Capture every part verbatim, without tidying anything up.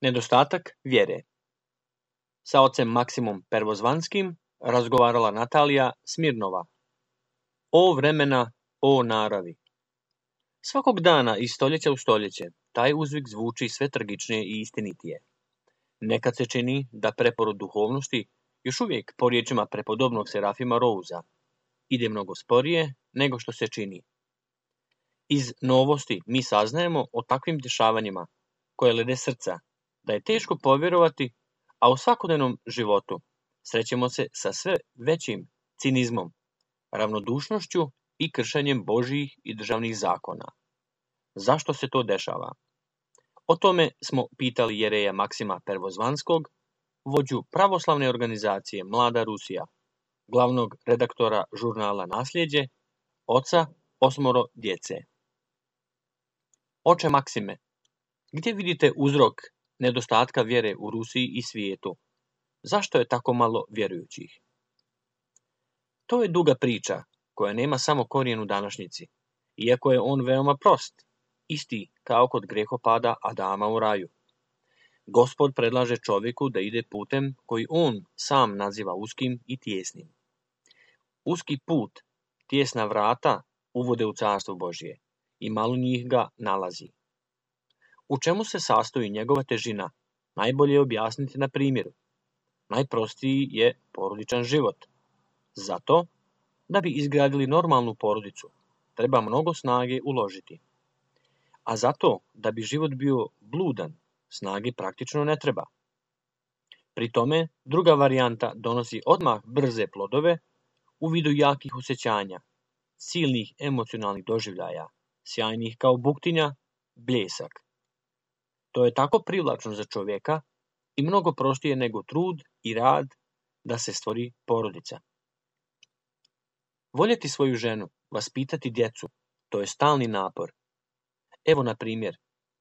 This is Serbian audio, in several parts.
Nedostatak vjere. Sa ocem Maksimom Pervozvanskim razgovarala Natalija Smirnova. O vremena, o naravi. Svakog dana iz stoljeća u stoljeće taj uzvik zvuči sve tragičnije i istinitije. Nekad se čini da preporod duhovnosti još uvijek po riječima prepodobnog Serafima Rouza ide mnogo sporije nego što se čini. Iz novosti mi saznajemo o takvim dešavanjima koje lede srca, da je teško povjerovati, a u svakodnevnom životu srećemo se sa sve većim cinizmom, ravnodušnošću i kršenjem Božjih i državnih zakona. Zašto se to dešava? O tome smo pitali jereja Maksima Pervozvanskog, vođu pravoslavne organizacije Mlada Rusija, glavnog redaktora žurnala Nasljeđe, oca osmoro djece. Oče Maksime, gdje vidite uzrok nedostatka vjere u Rusiji i svijetu? Zašto je tako malo vjerujućih? To je duga priča koja nema samo korijen u današnjici, iako je on veoma prost, isti kao kod grehopada Adama u raju. Gospod predlaže čovjeku da ide putem koji on sam naziva uskim i tijesnim. Uski put, tijesna vrata uvode u carstvo Božje i malo njih ga nalazi. U čemu se sastoji njegova težina? Najbolje je objasniti na primjeru. Najprostiji je porodičan život. Zato, da bi izgradili normalnu porodicu, treba mnogo snage uložiti. A zato, da bi život bio bludan, snage praktično ne treba. Pri tome, druga varijanta donosi odmah brze plodove u vidu jakih osjećanja, silnih emocionalnih doživljaja, sjajnih kao buktinja, bljesak. To je tako privlačno za čovjeka i mnogo prostije nego trud i rad da se stvori porodica. Voljeti svoju ženu, vaspitati djecu, to je stalni napor. Evo na primjer,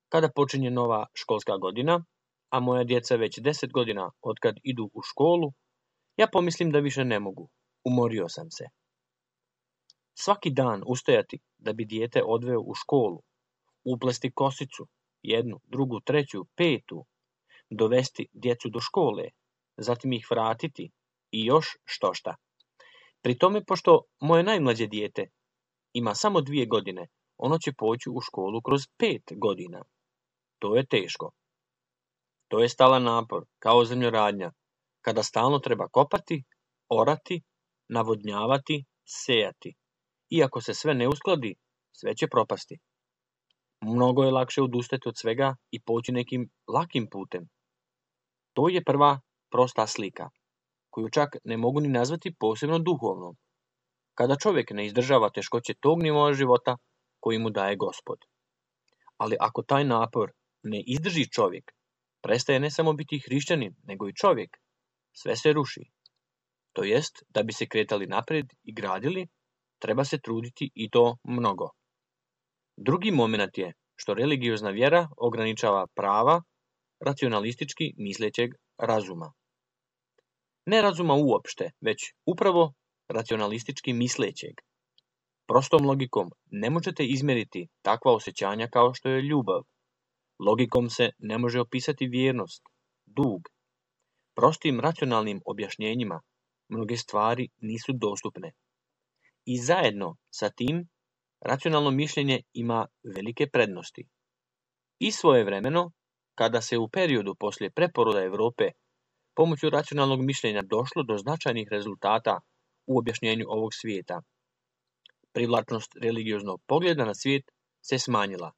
kada počinje nova školska godina, a moja djeca već deset godina otkad idu u školu, ja pomislim da više ne mogu, umorio sam se. Svaki dan ustajati da bi dijete odveo u školu, uplesti kosicu, jednu, drugu, treću, petu, dovesti djecu do škole, zatim ih vratiti i još štošta. Pri tome, pošto moje najmlađe dijete ima samo dvije godine, ono će poći u školu kroz pet godina. To je teško. To je stalan napor, kao zemljoradnja, kada stalno treba kopati, orati, navodnjavati, sejati. Iako se sve ne uskladi, sve će propasti. Mnogo je lakše odustati od svega i poći nekim lakim putem. To je prva prosta slika, koju čak ne mogu ni nazvati posebno duhovnom, kada čovjek ne izdržava teškoće tog nivoa života koji mu daje Gospod. Ali ako taj napor ne izdrži čovjek, prestaje ne samo biti hrišćanin, nego i čovjek. Sve se ruši. To jest, da bi se kretali naprijed i gradili, treba se truditi i to mnogo. Drugi moment je što religiozna vjera ograničava prava racionalistički mislećeg razuma. Ne razuma uopšte, već upravo racionalistički mislećeg. Prostom logikom ne možete izmjeriti takva osjećanja kao što je ljubav. Logikom se ne može opisati vjernost, dug. Prostim racionalnim objašnjenjima mnoge stvari nisu dostupne. I zajedno sa tim, racionalno mišljenje ima velike prednosti. I svojevremeno, kada se u periodu poslije preporoda Europe pomoću racionalnog mišljenja došlo do značajnih rezultata u objašnjenju ovog svijeta, privlačnost religioznog pogleda na svijet se smanjila.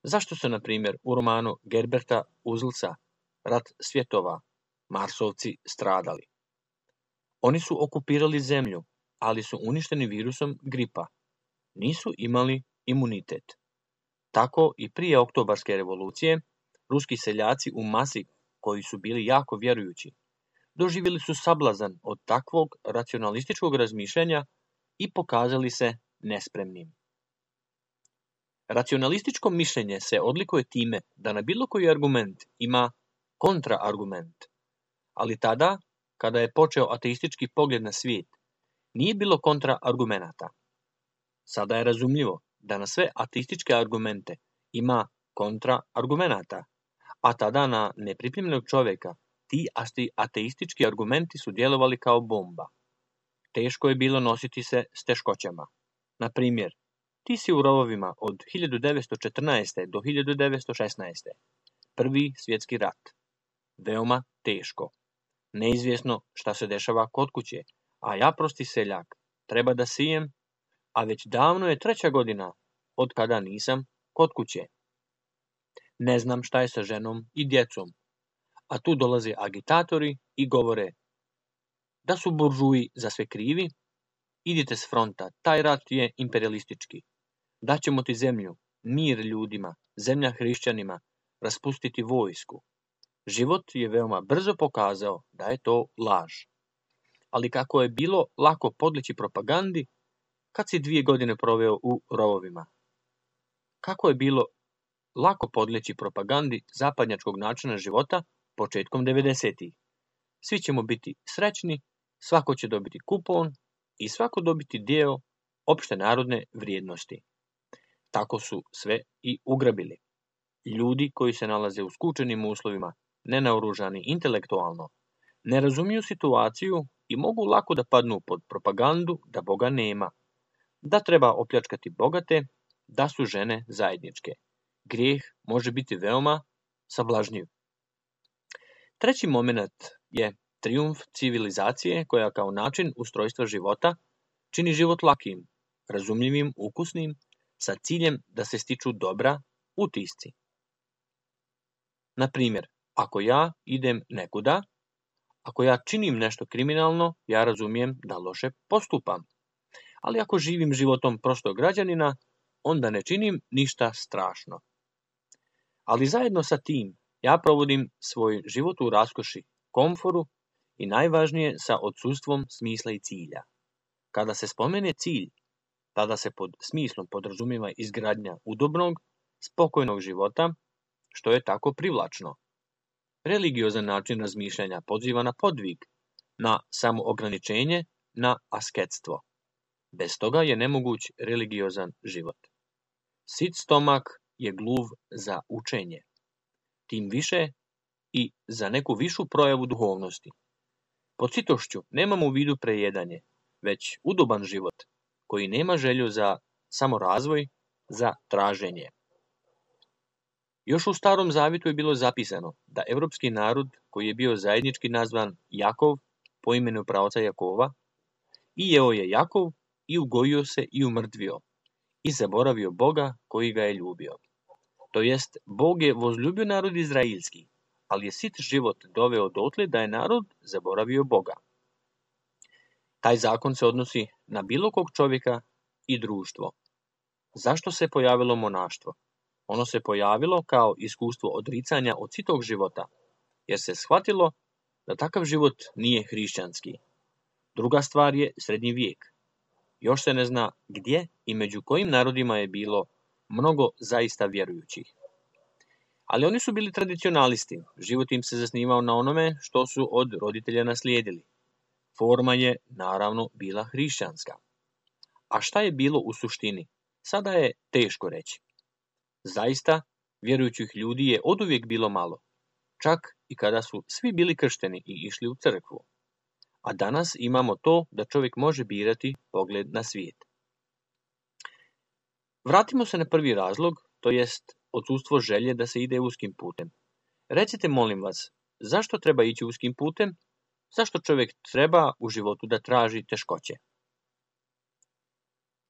Zašto se, na primjer, u romanu Gerberta Uzlsa Rat svjetova Marsovci stradali? Oni su okupirali zemlju, ali su uništeni virusom gripa. Nisu imali imunitet. Tako i prije Oktobarske revolucije, ruski seljaci u masi, koji su bili jako vjerujući, doživjeli su sablazan od takvog racionalističkog razmišljanja i pokazali se nespremnim. Racionalističko mišljenje se odlikuje time da na bilo koji argument ima kontraargument, ali tada, kada je počeo ateistički pogled na svijet, nije bilo kontraargumenata. Sada je razumljivo da na sve ateističke argumente ima kontraargumenata, a tada na nepripremljenog čovjeka ti ateistički argumenti su djelovali kao bomba. Teško je bilo nositi se s teškoćama. Na primjer, ti si u rovovima od hiljadu devetsto četrnaeste. do hiljadu devetsto šesnaeste. Prvi svjetski rat. Veoma teško. Neizvjesno šta se dešava kod kuće, a ja prosti seljak treba da sijem, a već davno je treća godina od kada nisam kod kuće. Ne znam šta je sa ženom i djecom, a tu dolaze agitatori i govore da su buržuji za sve krivi, idite s fronta, taj rat je imperialistički. Daćemo ti zemlju, mir ljudima, zemlja hrišćanima, raspustiti vojsku. Život je veoma brzo pokazao da je to laž. Ali kako je bilo lako podleći propagandi kad si dvije godine proveo u rovovima? Kako je bilo lako podleći propagandi zapadnjačkog načina života početkom devedesetih? Svi ćemo biti srećni, svako će dobiti kupon i svako dobiti dio opšte narodne vrijednosti. Tako su sve i ugrabili. Ljudi koji se nalaze u skučenim uslovima, nenaoružani intelektualno, ne razumiju situaciju i mogu lako da padnu pod propagandu da Boga nema, da treba opljačkati bogate, da su žene zajedničke. Grijeh može biti veoma sablažnjiv. Treći moment je trijumf civilizacije koja kao način ustrojstva života čini život lakim, razumljivim, ukusnim, sa ciljem da se stiču dobra utisci. Na primjer, ako ja idem nekuda, ako ja činim nešto kriminalno, ja razumijem da loše postupam. Ali ako živim životom prostog građanina, onda ne činim ništa strašno. Ali zajedno sa tim, ja provodim svoj život u raskoši, komforu i najvažnije sa odsustvom smisla i cilja. Kada se spomene cilj, tada se pod smislom podrazumijeva izgradnja udobnog, spokojnog života, što je tako privlačno. Religiozan način razmišljanja poziva na podvig, na samoograničenje, na asketstvo. Bez toga je nemoguć religiozan život. Sit stomak je gluv za učenje. Tim više i za neku višu projavu duhovnosti. Pod sitošću nemamo u vidu prejedanje, već udoban život, koji nema želju za samorazvoj, za traženje. Još u Starom Zavjetu je bilo zapisano da evropski narod, koji je bio zajednički nazvan Jakov, po imenu praoca Jakova, i jeo je Jakov, i ugojio se i umrtvio, i zaboravio Boga koji ga je ljubio. To jest, Bog je vozljubio narod izraelski, ali je sit život doveo dotle da je narod zaboravio Boga. Taj zakon se odnosi na bilo kog čovjeka i društvo. Zašto se pojavilo monaštvo? Ono se pojavilo kao iskustvo odricanja od sitog života, jer se shvatilo da takav život nije hrišćanski. Druga stvar je srednji vijek. Još se ne zna gdje i među kojim narodima je bilo mnogo zaista vjerujućih. Ali oni su bili tradicionalisti, život im se zasnivao na onome što su od roditelja naslijedili. Forma je, naravno, bila hrišćanska. A šta je bilo u suštini? Sada je teško reći. Zaista, vjerujućih ljudi je oduvijek bilo malo, čak i kada su svi bili kršteni i išli u crkvu. A danas imamo to da čovjek može birati pogled na svijet. Vratimo se na prvi razlog, to jest odsustvo želje da se ide uskim putem. Recite, molim vas, zašto treba ići uskim putem? Zašto čovjek treba u životu da traži teškoće?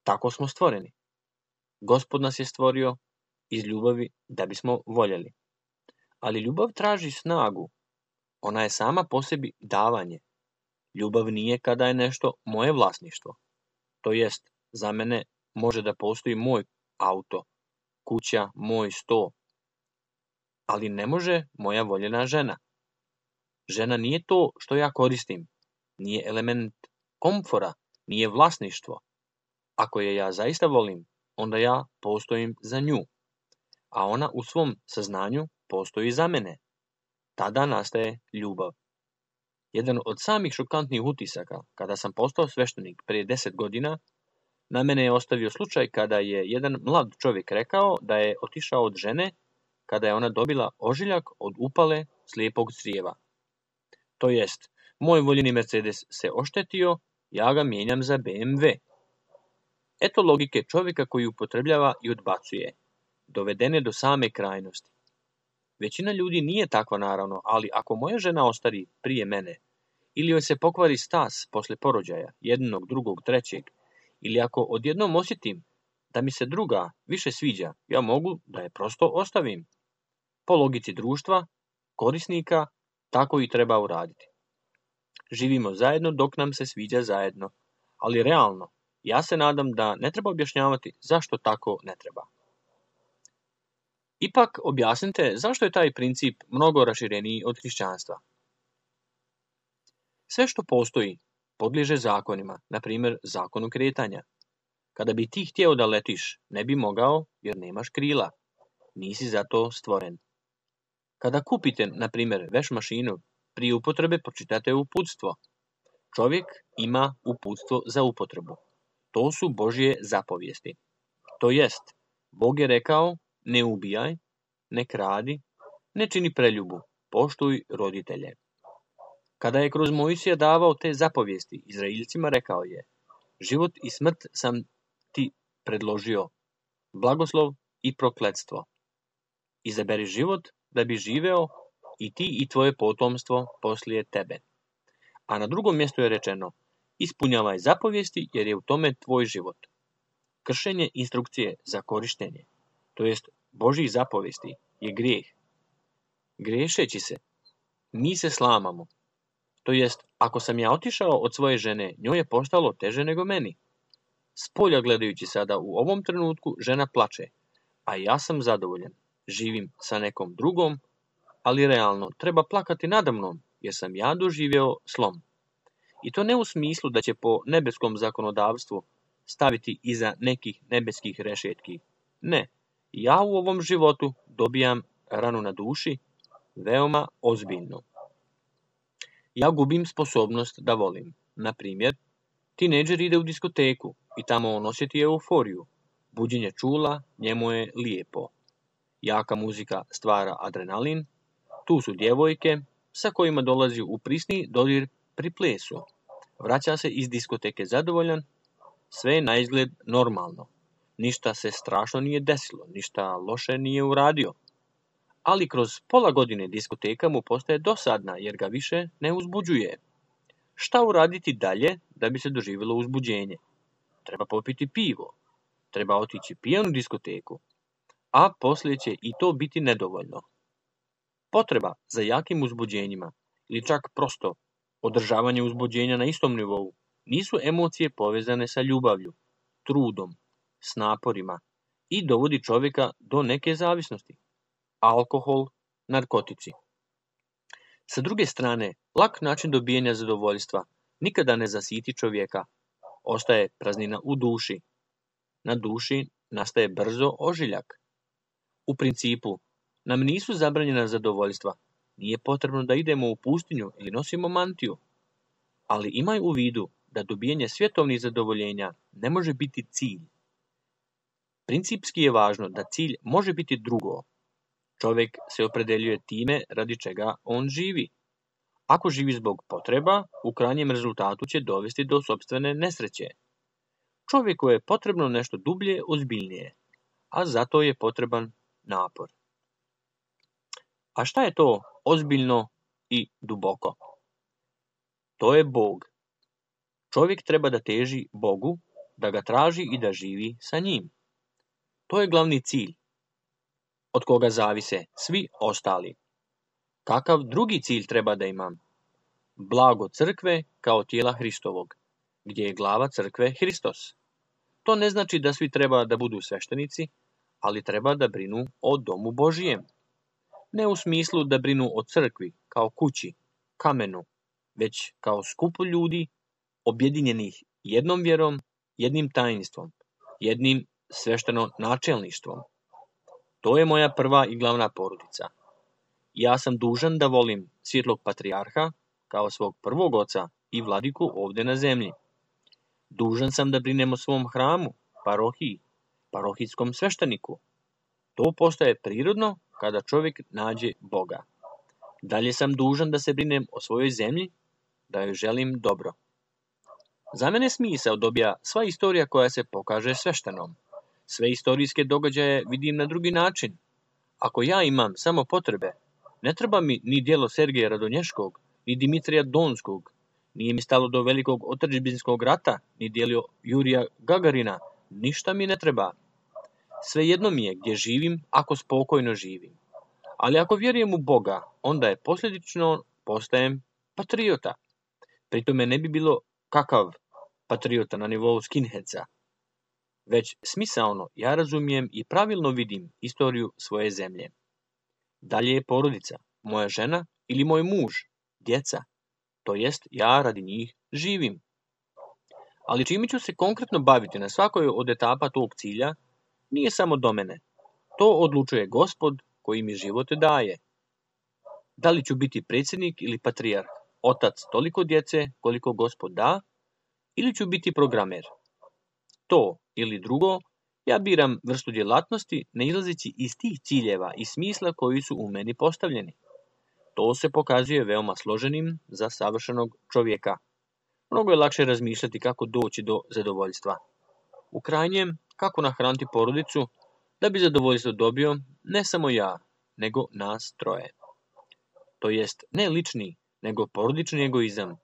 Tako smo stvoreni. Gospod nas je stvorio iz ljubavi da bismo voljeli. Ali ljubav traži snagu. Ona je sama po sebi davanje. Ljubav nije kada je nešto moje vlasništvo. To jest, za mene može da postoji moj auto, kuća, moj sto. Ali ne može moja voljena žena. Žena nije to što ja koristim. Nije element komfora, nije vlasništvo. Ako je ja zaista volim, onda ja postojim za nju. A ona u svom saznanju postoji za mene. Tada nastaje ljubav. Jedan od samih šokantnih utisaka, kada sam postao sveštenik prije deset godina, na mene je ostavio slučaj kada je jedan mlad čovjek rekao da je otišao od žene kada je ona dobila ožiljak od upale slijepog crijeva. To jest, moj voljeni Mercedes se oštetio, ja ga mijenjam za B M W. Eto logike čovjeka koji upotrebljava i odbacuje, dovedene do same krajnosti. Većina ljudi nije takva naravno, ali ako moja žena ostari prije mene, ili joj se pokvari stas posle porođaja, jednog, drugog, trećeg, ili ako odjednom osjetim da mi se druga više sviđa, ja mogu da je prosto ostavim. Po logici društva, korisnika, tako i treba uraditi. Živimo zajedno dok nam se sviđa zajedno, ali realno, ja se nadam da ne treba objašnjavati zašto tako ne treba. Ipak objasnite zašto je taj princip mnogo rašireniji od hrišćanstva. Sve što postoji podliježe zakonima, na primjer zakonu kretanja. Kada bi ti htjeo da letiš, ne bi mogao jer nemaš krila. Nisi za to stvoren. Kada kupite, na primjer, veš mašinu, prije upotrebe pročitate uputstvo. Čovjek ima uputstvo za upotrebu. To su Božje zapovijesti. To jest, Bog je rekao, ne ubijaj, ne kradi, ne čini preljubu, poštuj roditelje. Kada je kroz Mojsija davao te zapovijesti, Izraeljcima rekao je, život i smrt sam ti predložio, blagoslov i prokletstvo. Izaberi život da bi živeo i ti i tvoje potomstvo poslije tebe. A na drugom mjestu je rečeno, ispunjavaj zapovijesti jer je u tome tvoj život. Kršenje instrukcije za korištenje, to jest Božjih zapovijesti, je grijeh. Griješeći se, mi se slamamo. To jest, ako sam ja otišao od svoje žene, njoj je postalo teže nego meni. Spolja gledajući sada u ovom trenutku, žena plače, a ja sam zadovoljan. Živim sa nekom drugom, ali realno treba plakati nadamnom, jer sam ja doživio slom. I to ne u smislu da će po nebeskom zakonodavstvu staviti iza nekih nebeskih rešetki. Ne, ja u ovom životu dobijam ranu na duši, veoma ozbiljno. Ja gubim sposobnost da volim. Na primjer, tinejdžer ide u diskoteku i tamo on osjeti euforiju. Buđenje čula, njemu je lijepo. Jaka muzika stvara adrenalin. Tu su djevojke sa kojima dolazi u prisni dodir pri plesu. Vraća se iz diskoteke zadovoljan, sve je na izgled normalno. Ništa se strašno nije desilo, ništa loše nije uradio. Ali kroz pola godine diskoteka mu postaje dosadna jer ga više ne uzbuđuje. Šta uraditi dalje da bi se doživjelo uzbuđenje? Treba popiti pivo, treba otići pijan u diskoteku, a poslije će i to biti nedovoljno. Potreba za jakim uzbuđenjima ili čak prosto održavanje uzbuđenja na istom nivou nisu emocije povezane sa ljubavlju, trudom, s naporima i dovodi čovjeka do neke zavisnosti. Alkohol, narkotici. Sa druge strane, lak način dobijanja zadovoljstva nikada ne zasiti čovjeka. Ostaje praznina u duši. Na duši nastaje brzo ožiljak. U principu, nam nisu zabranjena zadovoljstva. Nije potrebno da idemo u pustinju ili nosimo mantiju. Ali imaj u vidu da dobijanje svjetovnih zadovoljenja ne može biti cilj. Principski je važno da cilj može biti drugo. Čovjek se opredeljuje time radi čega on živi. Ako živi zbog potreba, u krajnjem rezultatu će dovesti do sopstvene nesreće. Čovjeku je potrebno nešto dublje, ozbiljnije, a zato je potreban napor. A šta je to ozbiljno i duboko? To je Bog. Čovjek treba da teži Bogu, da ga traži i da živi sa njim. To je glavni cilj, od koga zavise svi ostali. Kakav drugi cilj treba da imam? Blago crkve kao tijela Hristovog, gdje je glava crkve Hristos. To ne znači da svi treba da budu sveštenici, ali treba da brinu o domu Božijem. Ne u smislu da brinu o crkvi, kao kući, kamenu, već kao skupu ljudi, objedinjenih jednom vjerom, jednim tajnstvom, jednim svešteno načelništvom. To je moja prva i glavna porodica. Ja sam dužan da volim svjetlog patrijarha kao svog prvog oca i vladiku ovdje na zemlji. Dužan sam da brinem o svom hramu, parohiji, parohijskom svešteniku. To postaje prirodno kada čovjek nađe Boga. Dalje sam dužan da se brinem o svojoj zemlji, da joj želim dobro. Za mene smisao dobija sva istorija koja se pokaže sveštenom. Sve istorijske događaje vidim na drugi način. Ako ja imam samo potrebe, ne treba mi ni djelo Sergeja Radonješkog, ni Dimitrija Donskog, nije mi stalo do velikog otadžbinskog rata, ni djelo Jurija Gagarina, ništa mi ne treba. Svejedno mi je gdje živim, ako spokojno živim. Ali ako vjerujem u Boga, onda je posljedično postajem patriota. Pri tome ne bi bilo kakav patriota na nivou skinheadsa, već smisaono ja razumijem i pravilno vidim istoriju svoje zemlje. Dalje je porodica, moja žena ili moj muž, djeca, to jest ja radi njih živim. Ali čime ću se konkretno baviti na svakoj od etapa tog cilja, nije samo do mene. To odlučuje Gospod koji mi život daje. Da li ću biti predsjednik ili patrijarh, otac toliko djece koliko Gospod da, ili ću biti programer. To ili drugo, ja biram vrstu djelatnosti ne izlazeći iz tih ciljeva i smisla koji su u meni postavljeni. To se pokazuje veoma složenim za savršenog čovjeka. Mnogo je lakše razmišljati kako doći do zadovoljstva. U krajnjem, kako nahraniti porodicu, da bi zadovoljstvo dobio ne samo ja, nego nas troje. To jest ne lični, nego porodični egoizam.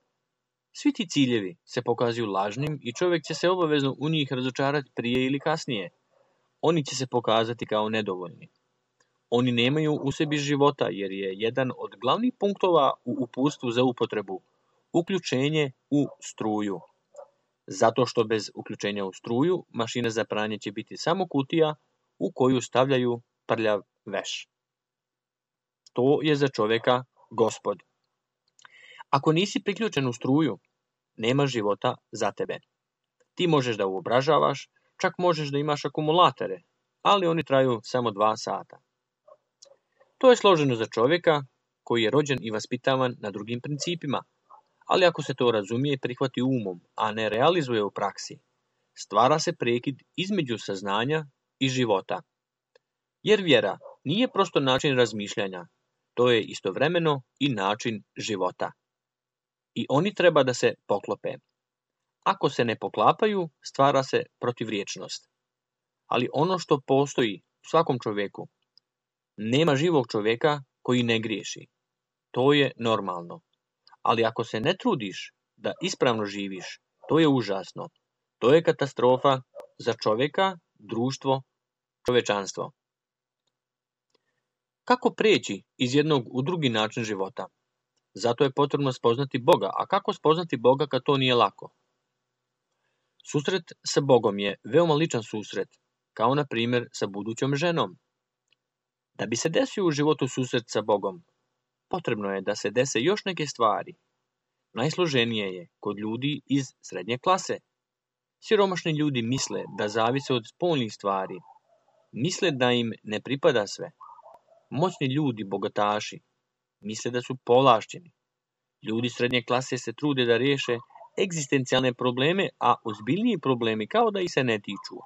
Svi ti ciljevi se pokazuju lažnim i čovjek će se obavezno u njih razočarati prije ili kasnije. Oni će se pokazati kao nedovoljni. Oni nemaju u sebi života jer je jedan od glavnih punktova u uputstvu za upotrebu uključenje u struju. Zato što bez uključenja u struju mašina za pranje će biti samo kutija u koju stavljaju prljav veš. To je za čovjeka Gospod. Ako nisi priključen u struju, nema života za tebe. Ti možeš da uobražavaš, čak možeš da imaš akumulatore, ali oni traju samo dva sata. To je složeno za čovjeka koji je rođen i vaspitavan na drugim principima, ali ako se to razumije i prihvati umom, a ne realizuje u praksi, stvara se prekid između saznanja i života. Jer vjera nije prosto način razmišljanja, to je istovremeno i način života. I oni treba da se poklope. Ako se ne poklapaju, stvara se protivriječnost. Ali ono što postoji u svakom čovjeku, nema živog čovjeka koji ne griješi. To je normalno. Ali ako se ne trudiš da ispravno živiš, to je užasno. To je katastrofa za čovjeka, društvo, čovečanstvo. Kako preći iz jednog u drugi način života? Zato je potrebno spoznati Boga. A kako spoznati Boga kad to nije lako? Susret sa Bogom je veoma ličan susret, kao na primjer sa budućom ženom. Da bi se desio u životu susret sa Bogom, potrebno je da se dese još neke stvari. Najsloženije je kod ljudi iz srednje klase. Siromašni ljudi misle da zavise od spoljnih stvari. Misle da im ne pripada sve. Moćni ljudi, bogataši, misle da su povlašćeni. Ljudi srednje klase se trude da riješe egzistencijalne probleme, a ozbiljniji problemi kao da ih se ne tiču.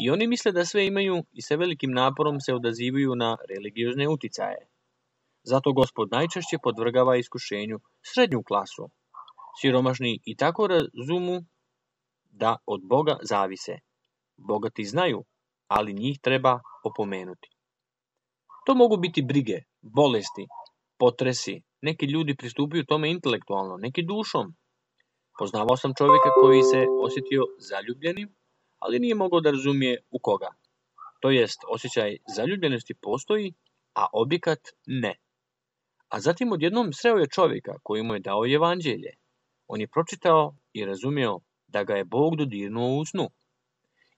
I oni misle da sve imaju i sa velikim naporom se odazivaju na religiozne uticaje. Zato Gospod najčešće podvrgava iskušenju srednju klasu. Siromašni i tako razumu da od Boga zavise. Bogati znaju, ali njih treba opomenuti. To mogu biti brige, bolesti, potresi. Neki ljudi pristupaju tome intelektualno, neki dušom. Poznavao sam čovjeka koji se osjetio zaljubljenim, ali nije mogao da razumije u koga. To jest, osjećaj zaljubljenosti postoji, a objekat ne. A zatim odjednom sreo je čovjeka koji mu je dao evanđelje. On je pročitao i razumio da ga je Bog dodirnuo u snu.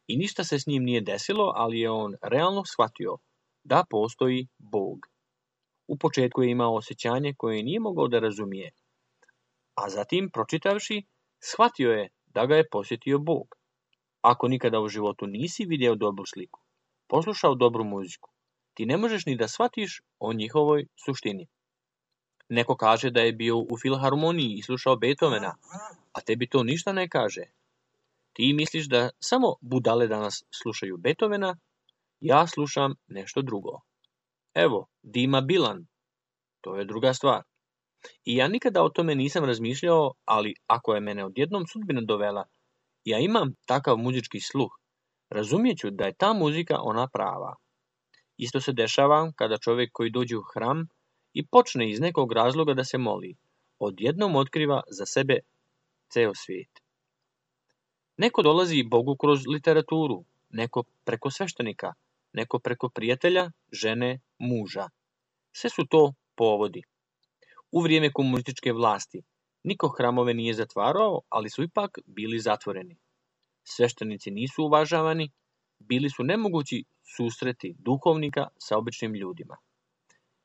I ništa se s njim nije desilo, ali je on realno shvatio da postoji Bog. U početku je imao osjećanje koje nije mogao da razumije. A zatim, pročitavši, shvatio je da ga je posjetio Bog. Ako nikada u životu nisi vidio dobru sliku, poslušao dobru muziku, ti ne možeš ni da shvatiš o njihovoj suštini. Neko kaže da je bio u filharmoniji i slušao Beethovena, a tebi to ništa ne kaže. Ti misliš da samo budale danas slušaju Beethovena, ja slušam nešto drugo. Evo, Dima Bilan, to je druga stvar. I ja nikada o tome nisam razmišljao, ali ako je mene odjednom sudbina dovela, ja imam takav muzički sluh, razumijeću da je ta muzika ona prava. Isto se dešava kada čovjek koji dođe u hram i počne iz nekog razloga da se moli, odjednom otkriva za sebe ceo svijet. Neko dolazi Bogu kroz literaturu, neko preko sveštenika, neko preko prijatelja, žene, muža. Sve su to povodi. U vrijeme komunističke vlasti niko hramove nije zatvarao, ali su ipak bili zatvoreni. Sveštenici nisu uvažavani, bili su nemogući susreti duhovnika sa običnim ljudima.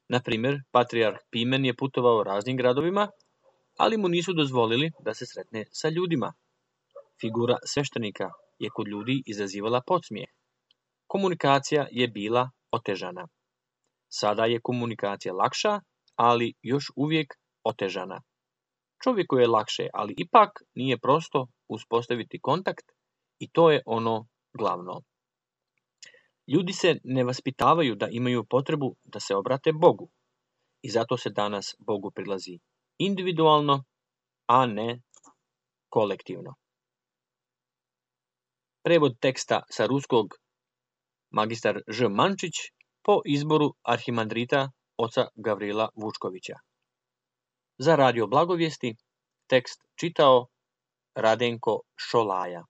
Na primjer, patrijarh Pimen je putovao raznim gradovima, ali mu nisu dozvolili da se sretne sa ljudima. Figura sveštenika je kod ljudi izazivala podsmijeh. Komunikacija je bila otežana. Sada je komunikacija lakša, ali još uvijek otežana. Čovjeku je lakše, ali ipak nije prosto uspostaviti kontakt i to je ono glavno. Ljudi se ne vaspitavaju da imaju potrebu da se obrate Bogu i zato se danas Bogu prilazi individualno, a ne kolektivno. Prevod teksta sa ruskog magistar Ž. Mančić po izboru arhimandrita oca Gavrila Vučkovića. Za Radio Blagovijesti tekst čitao Radenko Šolaja.